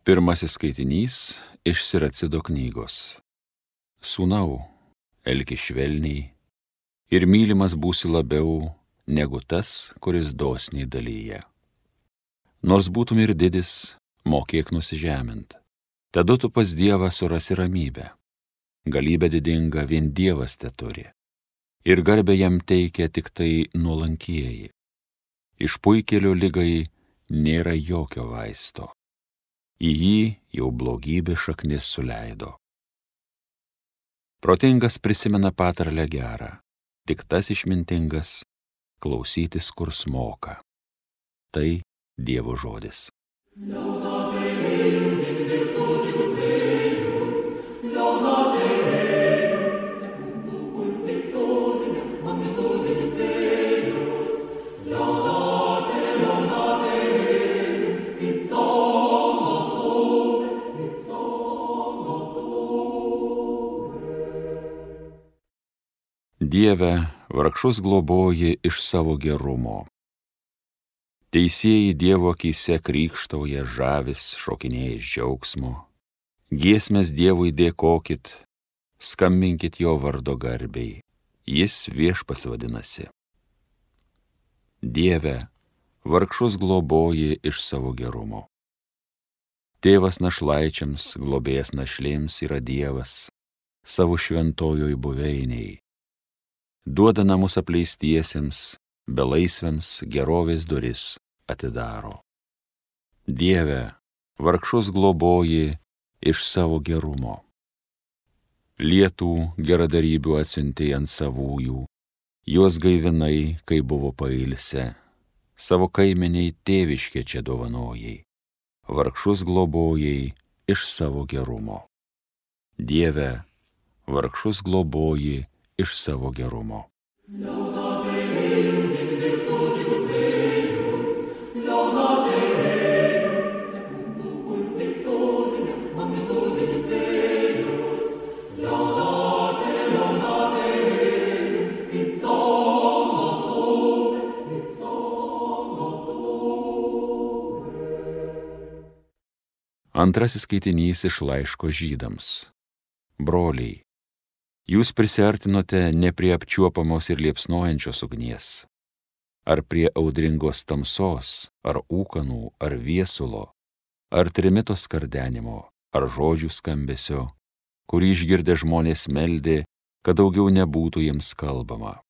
Pirmasis skaitinys iš Siracido knygos. Sūnau, elkis švelniai ir mylimas būsi labiau negu tas, kuris dosniai dalyja. Nors būtum ir didis, mokėk nusižemint. Tada tu pas Dievą surasi ramybę. Galybę didingą vien Dievas teturi. Ir garbę jam teikia tik tai nuolankieji. Iš puikėlio ligai nėra jokio vaisto. Į jį jau blogybė šaknis suleido. Protingas prisimena patarlę gerą, tik tas išmintingas klausytis, kur smoka. Tai Dievo žodis. Dieve, vargšus globoji iš savo gerumo. Teisieji Dievo akyse krykštauja, žavis, šokinėja iš džiaugsmo. Giesmes Dievui dėkokit, skambinkit jo vardo garbei, jis Viešpats vadinasi. Dieve, vargšus globoji iš savo gerumo. Tėvas našlaičiams, globėjas našlėms yra Dievas, savo šventojoj buveiniai. Duoda namus apleistiesiems, belaisviams gerovės duris atidaro. Dieve, vargšus globoji iš savo gerumo. Lietų geradarybių atsiuntei ant savųjų, juos gaivinai, kai buvo pailsę, savo kaimeniai tėviškė čia dovanojai, vargšus globojai iš savo gerumo. Dieve, vargšus globoji iš savo gerumo. Antrasis skaitinys iš laiško Žydams. Broliai, jūs prisiartinote ne prie apčiuopamos ir liepsnojančios ugnies, ar prie audringos tamsos, ar ūkanų, ar viesulo, ar trimito skardenimo, ar žodžių skambesio, kurį išgirdę žmonės meldė, kad daugiau nebūtų jiems kalbama.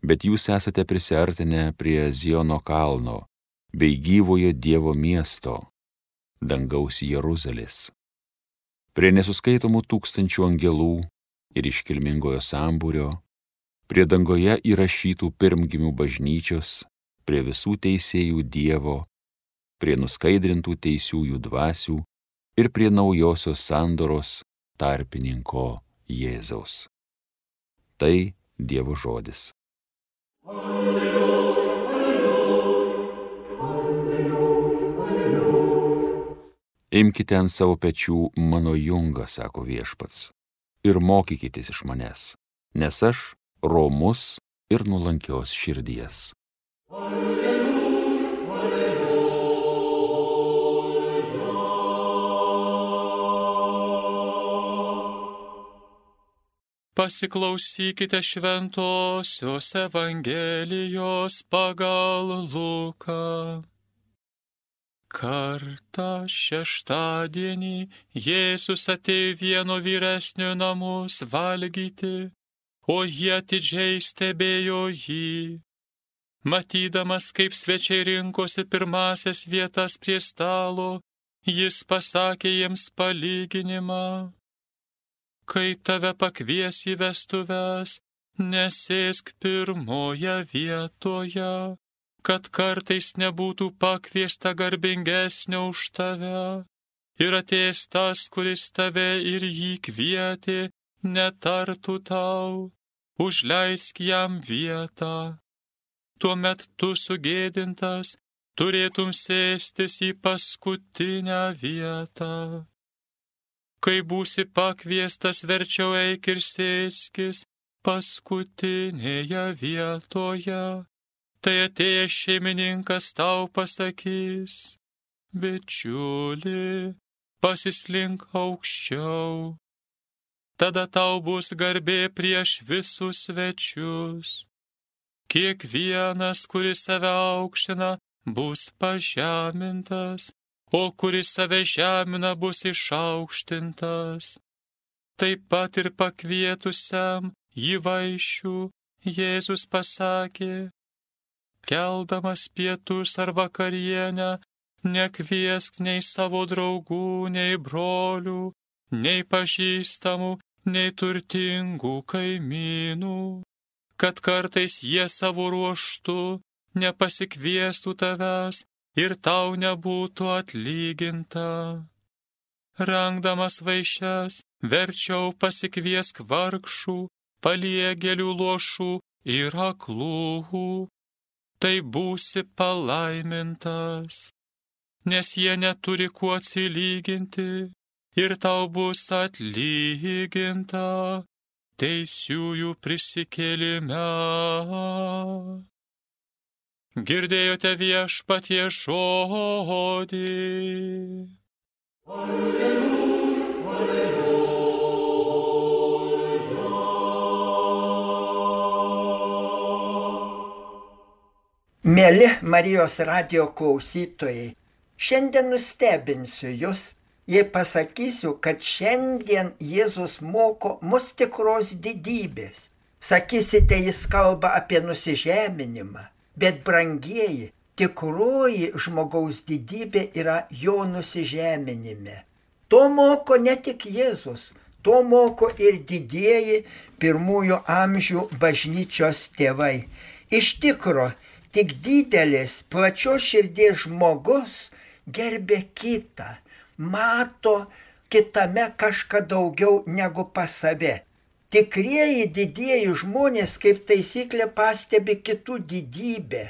Bet jūs esate prisiartinę prie Ziono kalno, bei gyvojo Dievo miesto, dangaus Jeruzalės, prie nesuskaitomų tūkstančių angelų ir iškilmingojo sambūrio, prie dangoje įrašytų pirmgimių bažnyčios, prie visų teisėjų Dievo, prie nuskaidrintų teisiųjų dvasių ir prie naujosios sandoros tarpininko Jėzaus. Tai Dievo žodis. Alleluja, alleluja, alleluja. Imkite ant savo pečių mano jungą, sako Viešpats, ir mokykitės iš manęs, nes aš romus ir nuolankios širdies. Alleluja, alleluja. Pasiklausykite šventosios Evangelijos pagal Luką. Kartą šeštadienį Jėzus atėjo vieno vyresnio namus valgyti, o jie atidžiai stebėjo jį. Matydamas, kaip svečiai rinkosi pirmasias vietas prie stalo, jis pasakė jiems palyginimą. Kai tave pakvies į vestuves, nesėsk pirmoje vietoje, kad kartais nebūtų pakviesta garbingesnio už tave, ir atėjęs tas, kuris tave ir jį kvietė, netartų tau, užleisk jam vietą. Tuomet tu sugėdintas turėtum sėstis į paskutinę vietą. Kai būsi pakviestas, verčiau eik ir sėskis paskutinėje vietoje. Tai atėjęs šeimininkas tau pasakys: bičiuli, pasislink aukščiau. Tada tau bus garbė prieš visus svečius. Kiekvienas, kuris save aukština, bus pažemintas, o kuris save žemina, bus išaukštintas. Taip pat ir pakvietusiam jį vaišių Jėzus pasakė: keldamas pietus ar vakarienę, nekviesk nei savo draugų, nei brolių, nei pažįstamų, nei turtingų kaimynų, kad kartais jie savo ruožtu nepasikviestų tavęs ir tau nebūtų atlyginta. Rengdamas vaišes, verčiau pasikviesk vargšų, paliegėlių, luošų ir aklų. Tai būsi palaimintas, nes jie neturi kuo atsilyginti ir tau bus atlyginta teisiųjų prisikėlime. Girdėjote Viešpaties žodį. Alleluja, alleluja. Mieli Marijos radijo klausytojai, šiandien nustebinsiu jūs, jei pasakysiu, kad šiandien Jėzus moko mus tikros didybės. Sakysite, jis kalba apie nusižeminimą, bet brangieji, tikroji žmogaus didybė yra jo nusižeminime. To moko ne tik Jėzus, to moko ir didieji pirmųjų amžių bažnyčios tėvai. Iš tikro, tik didelis, plačios širdies žmogus gerbė kitą, mato kitame kažką daugiau negu pas save. Tikrieji didieji žmonės kaip taisyklė pastebi kitų didybę,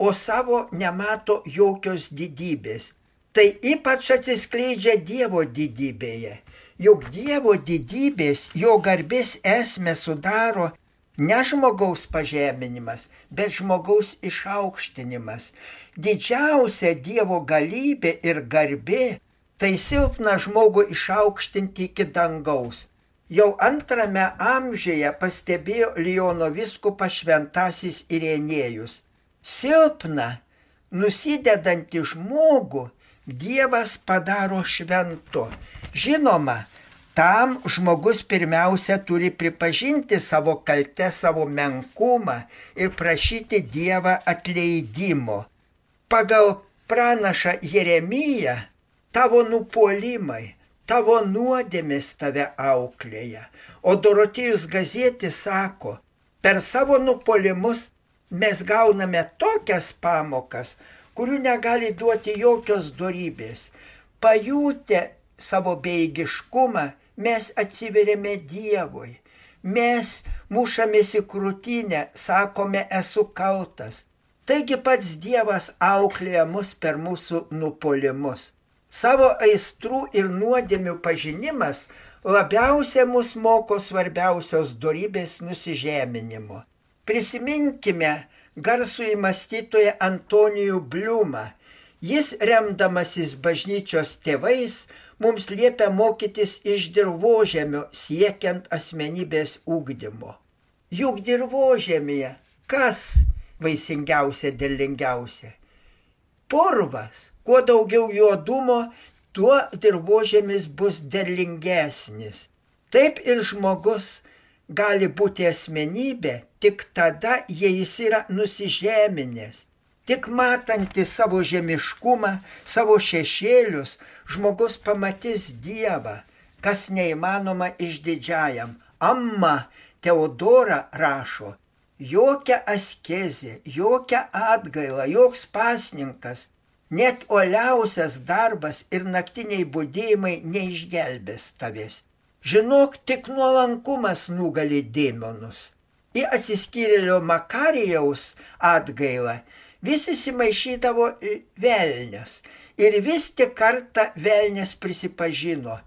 o savo nemato jokios didybės. Tai ypač atsiskleidžia Dievo didybėje. Juk Dievo didybės, jo garbės esmę sudaro ne žmogaus pažeminimas, bet žmogaus išaukštinimas. Didžiausia Dievo galybė ir garbė tai silpną žmogų išaukštinti iki dangaus. Jau 2 amžiuje pastebėjo Liono vyskupas šventasis Irenėjus. Silpną, nusidedantį žmogų Dievas padaro šventu. Žinoma, tam žmogus pirmiausia turi pripažinti savo kaltę, savo menkumą ir prašyti Dievą atleidimo. Pagal pranašą Jeremiją, tavo nupuolimai, tavo nuodėmės tave auklėja. O Dorotėjus Gazietis sako, per savo nupuolimus mes gauname tokias pamokas, kurių negali duoti jokios dorybės. Pajutę savo bejėgiškumą, mes atsiveriame Dievui. Mes mušamės į krūtinę, sakome, esu kaltas. Taigi pats Dievas auklėja mus per mūsų nupuolimus. Savo aistrų ir nuodėmių pažinimas labiausiai mus moko svarbiausios dorybės nusižeminimo. Prisiminkime garsųjį mąstytoją Antonijų Bliumą. Jis, remdamasis bažnyčios tėvais, mums liepia mokytis iš dirvožemio siekiant asmenybės ugdymo. Juk dirvožemyje kas vaisingiausia, derlingiausia? Purvas. Kuo daugiau juodumo, tuo dirvožemis bus derlingesnis. Taip ir žmogus gali būti asmenybė tik tada, jei jis yra nusižeminęs. Tik matantis savo žemiškumą, savo šešėlius, žmogus pamatys Dievą, kas neįmanoma išdidžiajam. Amma Teodora rašo, jokia askezė, jokia atgaila, joks pasninkas, net uoliausias darbas ir naktiniai budėjimai neišgelbės tavęs. Žinok, tik nuolankumas nugali demonus. Į atsiskyrėlio Makarijaus atgailą vis įsimaišydavo velnias. Ir vis tik kartą velnias prisipažino,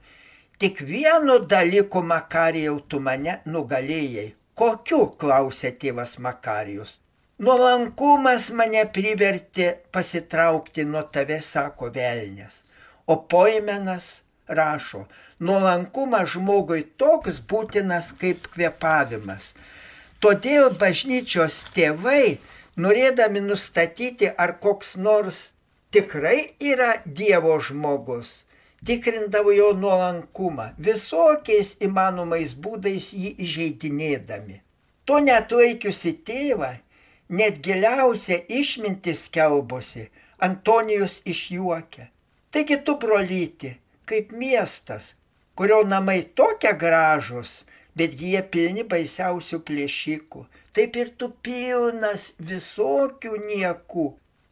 tik vienu dalyku, Makarijau, tu mane nugalėjai. Kokiu, klausė tėvas Makarijus. Nuolankumas mane privertė pasitraukti nuo tave, sako velnias. O Poimenas rašo, nuolankumas žmogui toks būtinas kaip kvėpavimas. Todėl bažnyčios tėvai, norėdami nustatyti, ar koks nors tikrai yra Dievo žmogus, tikrindavo jo nuolankumą, visokiais įmanomais būdais jį įžeidinėdami. To neatlaikiusi tėvą, net giliausia išmintis skelbosi, Antonijus išjuokia. Taigi tu, brolyti, kaip miestas, kurio namai tokie gražūs, betgi jie pilni baisiausių plėšikų, taip ir tu pilnas visokių niekų.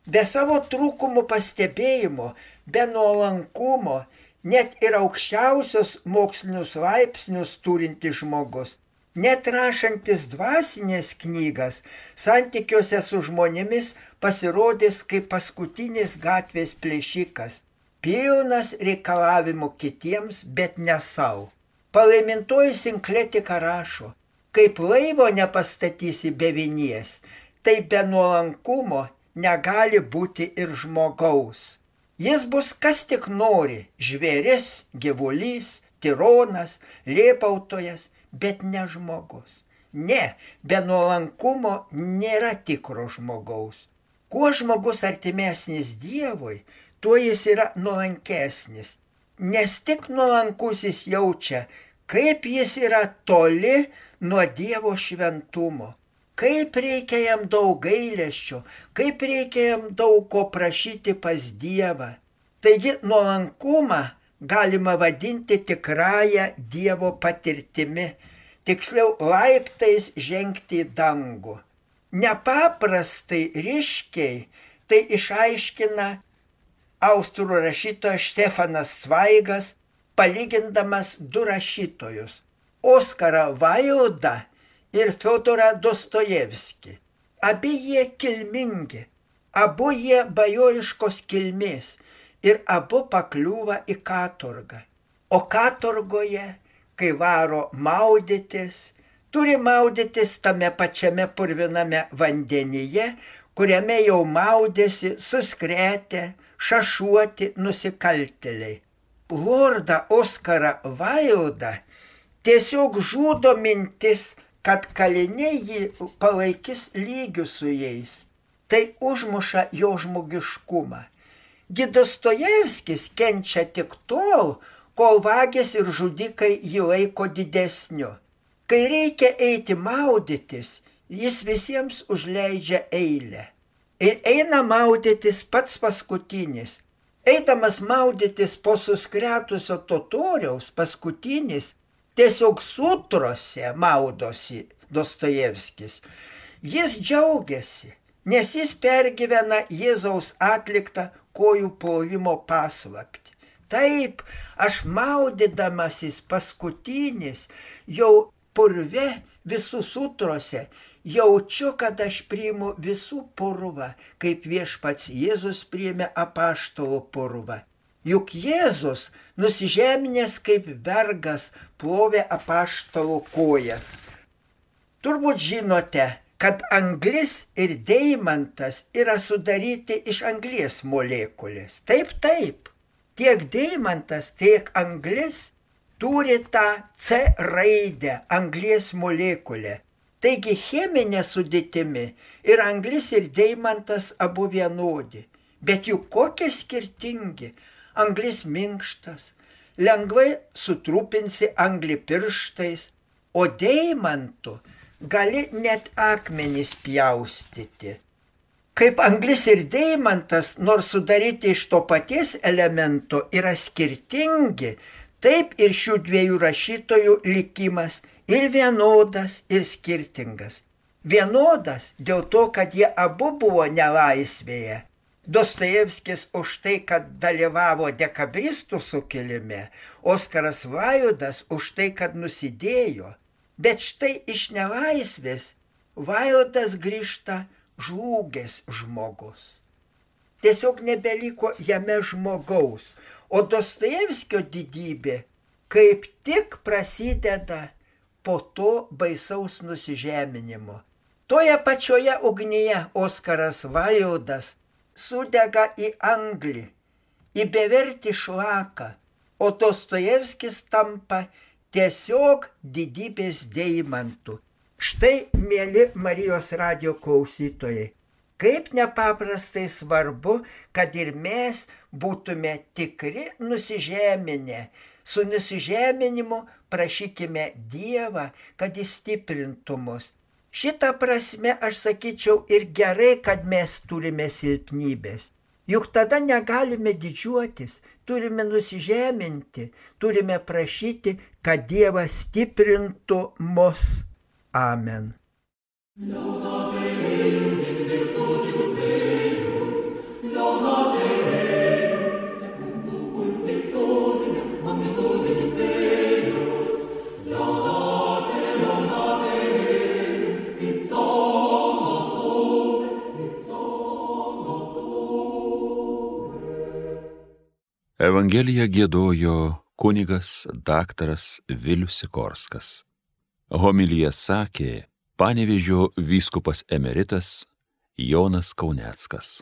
Be savo trūkumų pastebėjimo, be nuolankumo, net ir aukščiausios mokslinius laipsnius turintis žmogus, net rašantis dvasinės knygas, santykiuose su žmonėmis pasirodys kaip paskutinis gatvės plėšikas, pilnas reikalavimų kitiems, bet ne savo. Palaimintoji Sinkletika rašo, kaip laivo nepastatysi be vinies, tai be nuolankumo negali būti ir žmogaus. Jis bus kas tik nori, žvėris, gyvulys, tironas, lėpautojas, bet ne žmogus. Ne, be nuolankumo nėra tikro žmogaus. Kuo žmogus artimesnis Dievui, tuo jis yra nuolankesnis. Nes tik nuolankusis jaučia, kaip jis yra toli nuo Dievo šventumo. Kaip reikia jam daug gailesčio, kaip reikia jam daug ko prašyti pas Dievą. Taigi nuolankumą galima vadinti tikrąją Dievo patirtimi, tiksliau laiptais žengti į dangų. Nepaprastai ryškiai tai išaiškina austrų rašytojas Štefanas Cvaigas, palygindamas du rašytojus – Oskarą Vaildą ir Fiodorą Dostojevskį. Abi jie kilmingi, abu jie bajoriškos kilmės ir abu pakliūva į katorgą. O katorgoje, kai varo maudytis, turi maudytis tame pačiame purviname vandenyje, kuriame jau maudėsi suskretę, šašuoti nusikaltėliai. Lordą Oskarą Vaildą tiesiog žudo mintis, kad kaliniai jį palaikys lygių su jais. Tai užmuša jo žmogiškumą. Dostojevskis kenčia tik tol, kol vagės ir žudikai jį laiko didesniu. Kai reikia eiti maudytis, jis visiems užleidžia eilę. Ir eina maudytis pats paskutinis. Eidamas maudytis po suskretusio totoriaus paskutinis, tiesiog sutrose maudosi Dostojevskis. Jis džiaugiasi, nes jis pergyvena Jėzaus atliktą kojų plovimo paslaptį. Taip, aš maudydamasis paskutinis, jau purve visų sutrose, jaučiu, kad aš priimu visų purvą, kaip viešpats Jėzus priėmė apaštalų purvą. Juk Jėzus, nusižeminęs kaip vergas, plovė apaštalų kojas. Turbūt žinote, kad anglis ir deimantas yra sudaryti iš anglies molekulės. Taip. Tiek deimantas, tiek anglis turi tą C raidę, anglies molekulę. Taigi cheminė sudėtimi ir anglis ir deimantas abu vienodi. Bet juk kokie skirtingi. Anglis minkštas, lengvai sutrupinsi anglį pirštais, o deimantu gali net akmenys pjaustyti. Kaip anglis ir deimantas, nors sudaryti iš to paties elemento, yra skirtingi, taip ir šių dviejų rašytojų likimas ir vienodas, ir skirtingas. Vienodas dėl to, kad jie abu buvo nelaisvėje. Dostojevskis už tai, kad dalyvavo dekabristų sukilime, Oskaras Vaildas už tai, kad nusidėjo. Bet štai iš nelaisvės Vaildas grįžta žlugęs žmogus. Tiesiog nebeliko jame žmogaus, o Dostojevskio didybė kaip tik prasideda po to baisaus nusižeminimo. Toje pačioje ugnyje Oskaras Vaildas sudega į anglį, į bevertį šlaką, o Dostojevskis tampa tiesiog didybės deimantu. Štai, mėly Marijos radijo klausytojai, kaip nepaprastai svarbu, kad ir mes būtume tikri nusižeminę. Su nusižeminimu prašykime Dievą, kad jis stiprintų mus. Šitą prasme aš sakyčiau ir gerai, kad mes turime silpnybės. Juk tada negalime didžiuotis, turime nusižeminti, turime prašyti, kad Dievas stiprintų mus. Amen. Evangeliją giedojo kunigas daktaras Vilius Sikorskas. Homiliją sakė Panevėžio vyskupas emeritas Jonas Kauneckas.